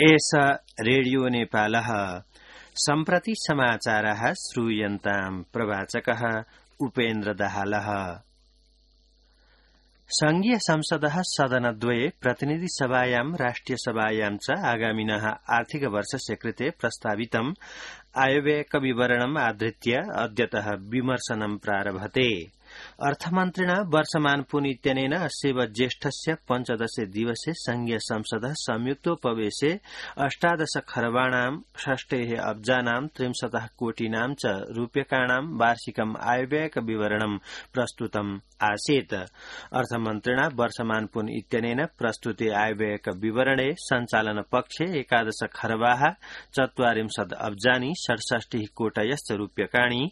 एष रेडियो नेपालः सम्प्रति समाचारः श्रूयन्ताम् प्रवाचकः उपेन्द्र दाहालः। संघीय संसदः सदनद्वये प्रतिनिधिसभायां राष्ट्रियसभायां च आगामिनः आर्थिक वर्षस्य कृते प्रस्तावितम् आयव्ययविवरणम् आधृत्य अद्यतः विमर्शनं प्रारभते। अर्थमन्त्रिणा वर्षमानपुन इत्यनेन अस्यैव ज्येष्ठस्य 15 दिवसे संघीय संसदः संयुक्तोपवेशे 18 खर्बाणां 6 अब्जानां 63 कोटिनां च रूप्यकाणां वार्षिकम् आयव्ययविवरणं प्रस्तुतम् आसीत्। अर्थमन्त्रिणा वर्षमानपुन इत्यनेन प्रस्तुते आयव्ययविवरणे सञ्चालन पक्षे 11 खर्बाः 44 अब्जानि 67 कोटयश्च रूप्यकाणि,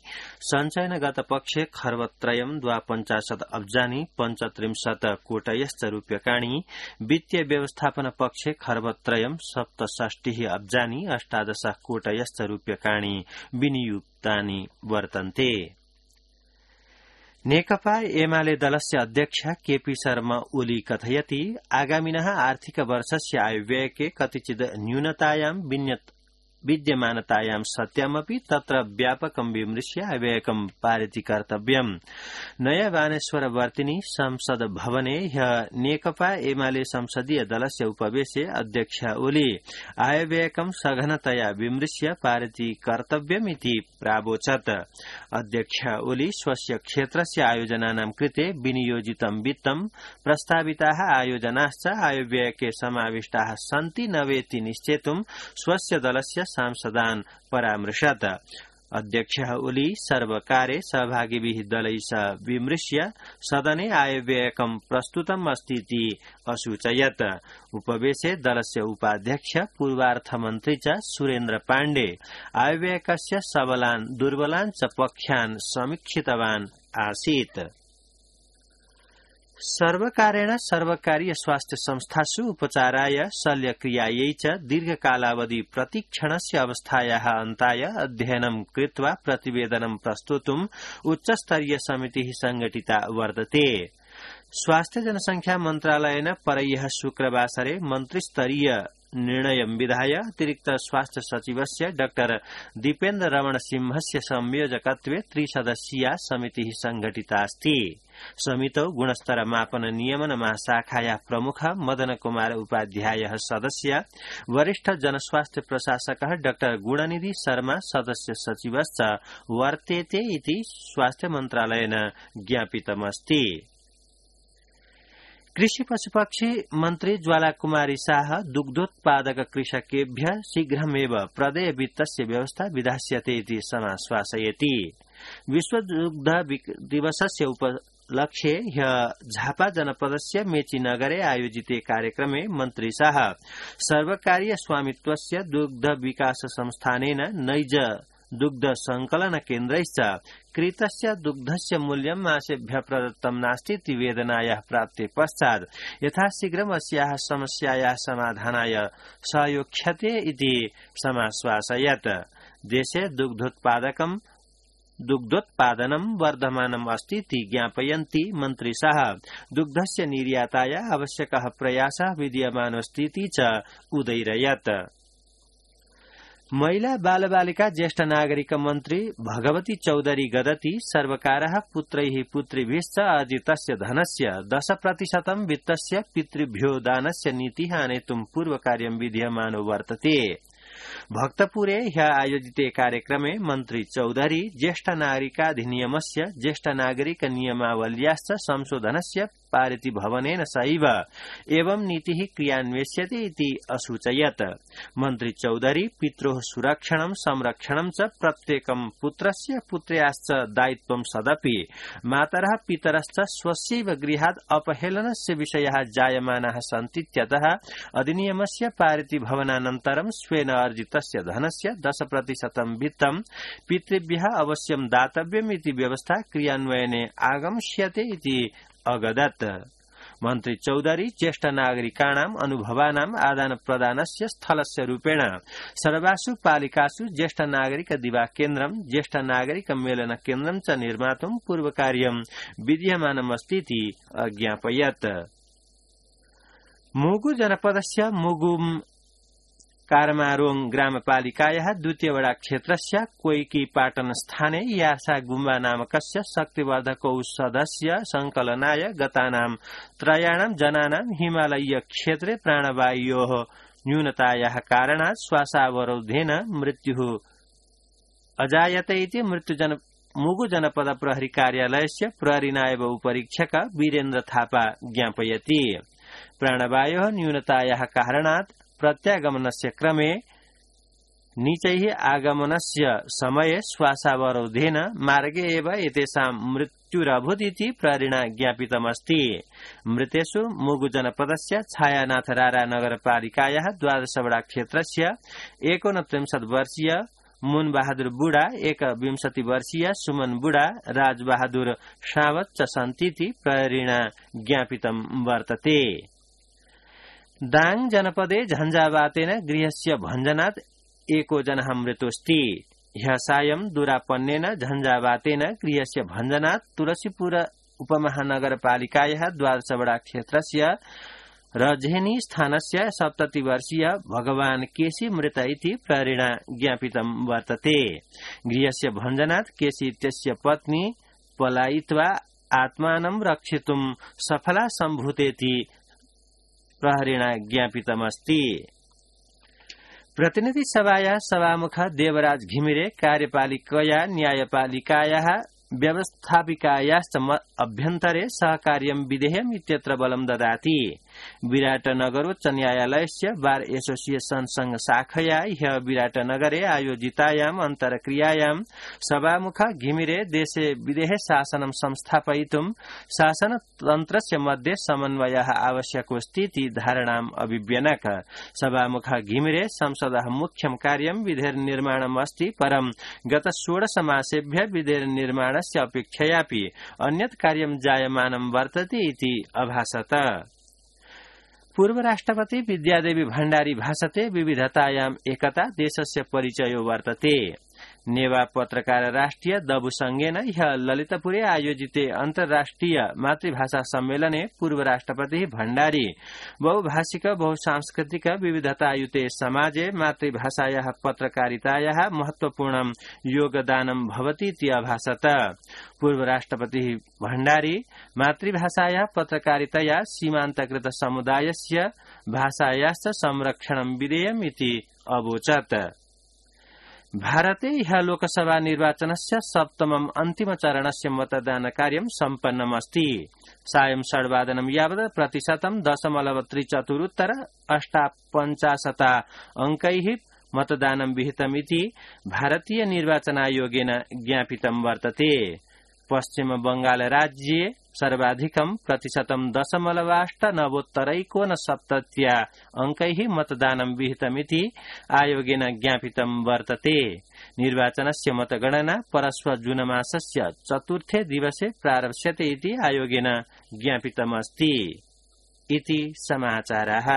सञ्चयनगत पक्षे खर्बत्रयम् 52 अब्जानि 35 कोटयश्च रूप्यकाणि, वित्तीय व्यवस्थापन पक्षे खर्बत्रयम् 67 अब्जानि 18 कोटयश्च रूप्यकाणि विनियुक्तानि वर्तन्ते। नेकपा एमाले दलस्य अध्यक्ष केपी शर्मा ओली कथयति आगामिनः आर्थिक वर्षस्य आयव्ययके कतिचित् न्यूनतायां विद्यमानतायां सत्यमपि तत्र व्यापकं विमृश्य आयव्ययकं पारिति कर्तव्यम्। नया बानेश्वरवर्तिनि संसद भवने ह्यः नेकपा एमाले संसदीय दलस्य उपवेशे अध्यक्ष ओली आयव्ययकं सघनतया विमृश्य पारिति कर्तव्यमिति प्रावोचत्। अध्यक्ष ओली स्वस्य क्षेत्रस्य आयोजनानां कृते विनियोजितं वित्तं प्रस्ताविताः आयोजनाश्च आयव्ययके समाविष्टाः सन्ति न वेति निश्चेतुं स्वस्य दलस्य सांसदान् परामृशत्। अध्यक्षः ओली सर्वकारे सहभागिभिः दलैः सह विमृश्य सदने आयव्ययकं प्रस्तुतम् अस्तीति असूचयत्। उपवेशे दलस्य उपाध्यक्ष पूर्वार्थमन्त्री च सुरेन्द्र पाण्डे आयव्ययकस्य सबलान् दुर्बलान् च पक्षान् समीक्षितवान् आसीत्। सर्वकारेण सर्वकारीय स्वास्थ्य संस्थासु उपचाराय शल्यक्रियायै च दीर्घकालावधि प्रतीक्षणस्य अवस्थायाः अन्ताय अध्ययनं कृत्वा प्रतिवेदनं प्रस्तोतुम् उच्चस्तरीय समितिः संघटिता वर्तते। स्वास्थ्य जनसंख्या मन्त्रालयेन परह्यः शुक्रवासरे मन्त्रिस्तरीय निर्णयं विधाय अतिरिक्त स्वास्थ्य सचिवस्य डॉ दीपेन्द्र रमण सिंहस्य संयोजकत्वे त्रिसदस्यीया समितिः संघटितास्ति। समितौ गुणस्तर मापन नियमन महाशाखायाः प्रमुख मदन कुमार उपाध्यायः सदस्य, वरिष्ठ जनस्वास्थ्य प्रशासकः डॉ गुणनिधि शर्मा सदस्य सचिवश्च वर्तेते इति स्वास्थ्य मन्त्रालयेन ज्ञापितमस्ति। कृषि पशुपक्षी मन्त्री ज्वालाकुमारी शाह दुग्धोत्पादक कृषकेभ्यः शीघ्रमेव प्रदेय वित्तस्य व्यवस्था विधास्यते इति समाश्वासयति। विश्व दुग्ध दिवसस्य उपलक्ष्ये ह्यः झापा जनपदस्य मेचीनगरे आयोजिते कार्यक्रमे मन्त्री शाह सर्वकारीय स्वामित्वस्य दुग्ध विकास संस्थानेन नैज दुग्ध संकलन केन्द्रैश्च क्रीतस्य दुग्धस्य मूल्यं मासेभ्यः प्रदत्तं नास्ति इति वेदनायाः प्राप्ते पश्चात् यथाशीघ्रम् अस्याः समस्यायाः समाधानाय सहयोक्ष्यते इति समाश्वासयत्। देशे दुग्धोत्पादनं वर्धमानम् अस्ति इति ज्ञापयन्ती मन्त्री शाह दुग्धस्य निर्याताय आवश्यकः प्रयासः विद्यमानोऽस्ति इति च उदयिरयत्। महिला बालबालिका ज्येष्ठ नागरिक मन्त्री भगवती चौधरी गदती सर्वकारः पुत्रैः पुत्रीभिश्च अर्जितस्य धनस्य 10% वित्तस्य पितृभ्यो दानस्य नीतिः आनेतुं पूर्वकार्यं विधीयमानो वर्तते। भक्तपुरे ह्यः आयोजिते कार्यक्रमे मन्त्री चौधरी ज्येष्ठ नागरिकाधिनियमस्य ज्येष्ठ नागरिक नियमावल्याश्च संशोधनस्य पारिति भवनेन सहैव एवं नीतिः क्रियान्वेष्यते इति असूचयत्। मन्त्री चौधरी पित्रोः सुरक्षणं संरक्षणं च प्रत्येकं पुत्रस्य पुत्र्याश्च दायित्वं सदपि मातरः पितरश्च स्वस्यैव गृहात् अपहेलनस्य विषयाः जायमानाः सन्तीत्यतः अधिनियमस्य पारिति भवनानन्तरं स्वेन अर्जितस्य धनस्य 10% वित्तं पितृभ्यः अवश्यं दातव्यम् इति व्यवस्था क्रियान्वयने आगमिष्यते इति अगदत्। मन्त्री चौधरी ज्येष्ठ नागरिकाणाम् अनुभवानाम् आदान प्रदानस्य स्थलस्य रूपेण सर्वासु पालिकासु ज्येष्ठ नागरिक दिवा केन्द्रं ज्येष्ठ नागरिक मेलन केन्द्रं च निर्मातुं पूर्वकार्यं विधीयमानमस्ति इति अज्ञापयत्। मुगु जनपदस्य मुगुम् कारमारोङ ग्रामपालिकायाः द्वितीय वडा क्षेत्रस्य कोइकी पाटन स्थाने यासा गुम्बा नामकस्य शक्तिवर्धक औषधस्य संकलनाय गतानां त्रयाणां जनानां हिमालयीय क्षेत्रे प्राणवायोः न्यूनतायाः कारणात् श्वासावरोधेन मृत्युः अजायते इति मुगु जनपद प्रहरी कार्यालयस्य प्रहरी नायब उपरीक्षक वीरेन्द्र थापा ज्ञापयति। प्राणवायोः न्यूनतायाः कारणात् प्रत्यागमनस्य क्रमे नीचैः आगमनस्य समये श्वासावरोधेन मार्गे एव एतेषां मृत्युरभूत् इति प्रहरिणा ज्ञापितमस्ति। मृतेषु मुगु जनपदस्य छायानाथ रारा नगरपालिकायाः 12 वडा क्षेत्रस्य 39 वर्षीय मुन बहादुर बुढा, 21 वर्षीय सुमन बुढा, राज बहादुर सावत च सन्तीति प्रहरिणा ज्ञापितं वर्तते। दाङ जनपदे झञ्झावातेन गृहस्य भञ्जनात् एको जनः मृतोऽस्ति। ह्यः सायं दुरापन्नेन झञ्झावातेन गृहस्य भञ्जनात् तुलसीपुर उपमहानगरपालिकायाः 12 वडा क्षेत्रस्य रझेनी स्थानस्य 70 वर्षीय भगवान केसी मृत इति प्रहरिणा ज्ञापितं वर्तते। गृहस्य भञ्जनात् केसी इत्यस्य पत्नी पलायित्वा आत्मानं रक्षितुं सफला सम्भूतेति प्रहरिणा ज्ञापितमस्ति। प्रतिनिधि सभाया सभामुख देवराज घिमिरे कार्यपालिकया न्यायपालिकायाः व्यवस्थापिकायाश्च अभ्यन्तरे सहकार्यं विधेयम् इत्यत्र बलं ददाति। विराटनगरोच्च न्यायालयस्य बार एसोसिएशन संघ शाखया ह्यः विराटनगरे आयोजितायाम् अन्तर्क्रियायां सभामुख घिमिरे देशे विदेहे शासनं संस्थापयितुं शासनतन्त्रस्य मध्ये समन्वयः आवश्यकोऽस्ति इति धारणाम् अभिव्यनक। सभामुख घिमिरे संसदः मुख्यं कार्यं विधेर्निर्माणम् अस्ति, परं गत 16 मासेभ्यः विधेर्निर्माणस्य अपेक्षयापि अन्यत् कार्यं जायमानं वर्तते इति अभासत। पूर्व राष्ट्रपति विद्यादेवी भण्डारी भाषते विविधतायाम् एकता देशस्य परिचयो वर्तते। नेवा पत्रकार राष्ट्रिय दबु संघेन ह्यः ललितपुरे आयोजिते अन्तर्राष्ट्रिय मातृभाषा सम्मेलने पूर्व राष्ट्रपति भण्डारी बहुभाषिक बहुसांस्कृतिक विविधतायुते समाजे मातृभाषायाः पत्रकारितायाः महत्वपूर्णं योगदानं भवति इति अभासत। पूर्व राष्ट्रपति भण्डारी मातृभाषायाः पत्रकारितया सीमान्तकृत समुदायस्य भाषायाश्च संरक्षणं विधेयम् इति अवोचत्। भारते ह्यः लोकसभा निर्वाचनस्य 7मम् अन्तिमचरणस्य मतदानकार्यं सम्पन्नमस्ति। सायं 6:00 यावत् प्रतिशतं 0.7458 अंकैः मतदानं विहितमिति भारतीय निर्वाचनायोगेन ज्ञापितं वर्तते। पश्चिम बंगाल राज्ये सर्वाधिकं प्रतिशतं 0.89 अंकैः मतदानं विहितमिति आयोगेन ज्ञापितं वर्तते। निर्वाचनस्य मतगणना परश्व जूनमासस्य 4थे दिवसे प्रारप्स्यते इति आयोगेन ज्ञापितमस्ति। इति समाचाराः।